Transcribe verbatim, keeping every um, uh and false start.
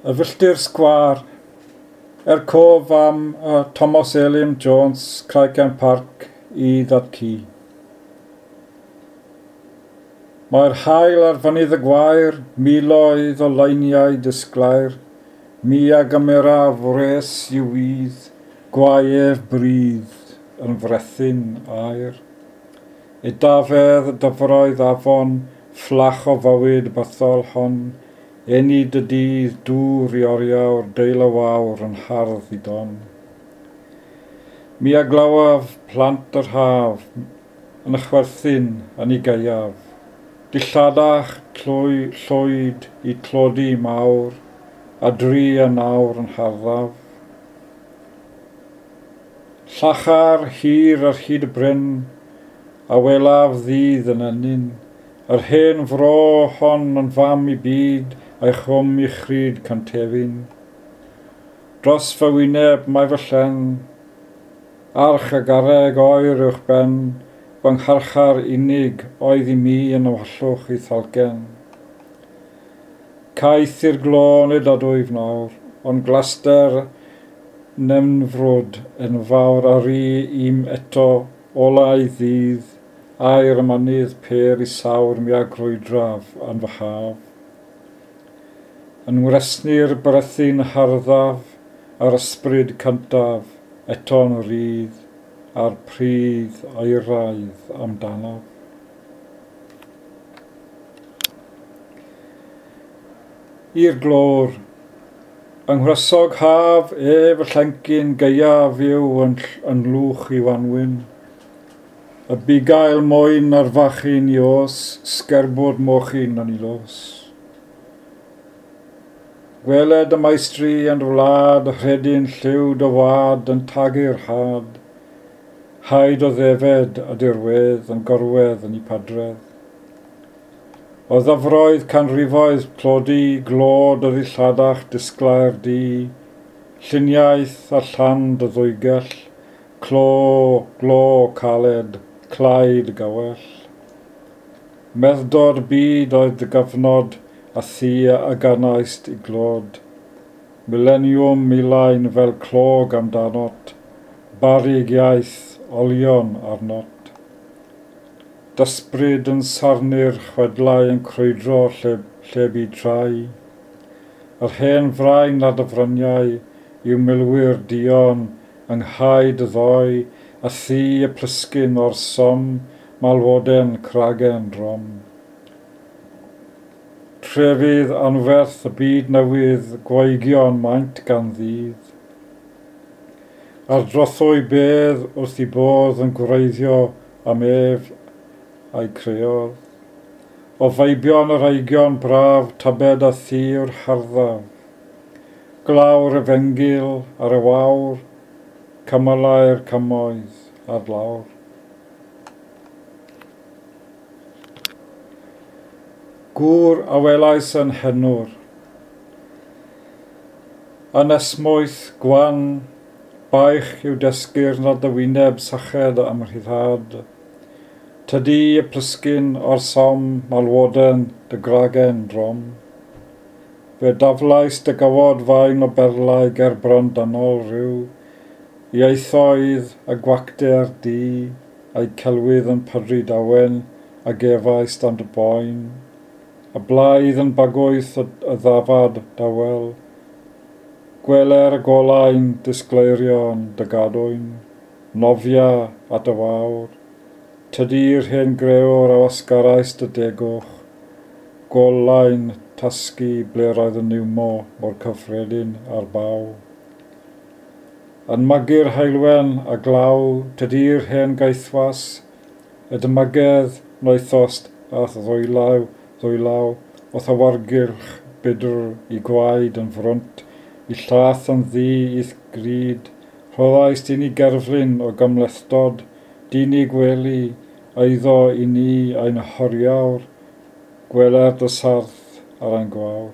Y filltir sgwâr, er cof am uh, Thomas Elim Jones, Craigend Park, i ddad-cu. Mae'r haul ar fynydd y gwair, miloedd o leiniau disglair, mi a gymeraf wres i'w wydd, gwaef brudd yn frethyn aer. Edafedd y dyfroedd afon, fflach o fywyd bythol hon, enid y dydd, dŵr i oriawr, deil y wawr yn hardd i don. Mi a glywaf plant yr haf, yn y chwerthin yn ei gaeaf. Dilladach tlwy, llwyd i tlodi mawr, a dri a nawr yn harddaf. Llachar hir ar hyd y bryn, a welaf ddydd yn ennyn, yr hen fro hon yn fam i byd, a'i chwm i chryd cantefin. Dros fy wyneb mae fy llen, arch a garreg oer uwch ben, fy ngharchar unig oedd i mi yn ymhollwch i thalgen. Caeth i'r glo nid ydwyf nawr, ond glaster nenfrwd enfawr a ru i'm eto olau ddydd, aer y mynydd pêr i sawr mi a grwydraf yn fy haf. Yn ngwresni'r brethyn harddaf a'r ysbryd cyntaf eto'n rhydd, a'r pridd aeraidd amdanaf. I'r glor, yng nghresog haf ef y llencyn gaeaf yw yn, yn lwch i wanwyn. Y bugail mwyn ar fachyn i os, sgerbwd mochyn yn ei los. Gweled y maestri yn wlad, rhedyn lliw dy wad yn tagu'r had. Haid o ddefed a dirwedd yn gorwedd yn ei padredd. O ddyfroedd canrifoedd tlodi, glod o ddilladach disglair di, lluniaeth a llan dy ddwygell, clo, glo caled, claid gawell. Meddod byd oedd dy gyfnod, a thi a ganaist i glod. Mileniwm milain fel clog amdanot, barig iaith olion arnot. Dysbryd yn sarnu'r chwedlau yn crwydro lle, lle bu trai. Yr hen frain ar dy fryniau yw milwyr duon yng nghae dy ddoe, a thi y plisgyn o'r som, malwoden cragen drom. Trefydd anferth y byd newydd, gwaegion maint gan ddydd. Ar drothwy bedd wrth i bodd yn gwreiddio am ef a'i creodd. O feibion yr eigion braf, tybed a thi yw'r harddaf. Glawr efengyl ar y wawr, cymylau'r cymoedd ar lawr. Gŵr a welais yn henwr. Yn esmwyth gwan, baich yw dysgu'r nad y wyneb syched am rhyddhad. Tydi y plisgyn o'r som malwoden dy gragen drom. Fe daflais dy gawod fain o berlau ger bron dynol rhyw, ieithoedd a gwacter di, a'i celwydd yn pydru dawen a gefais dan dy boen. Y blaidd yn bagwyth y, y ddafad dawel, gweler y golau'n disgleirio'n dy gadwyn, nofia at y wawr. Tydi'r hen grëwr a wasgarais dy degwch, golau'n tasgu ble roedd y niwmo mor cyffredin ar baw. Yn magu'r heulwen a glaw, tydi'r hen gaethwas, y dymagedd noethost a'th ddwylaw, ddwylaw, o'th awargylch budr i gwaed yn frwnt, i llath yn ddu i'th gryd, rhoddaist i ni gerflun o gymhlethdod, dyn i gwely, eiddo i ni ein horiawr, gweler dy sarth ar ein gwawr.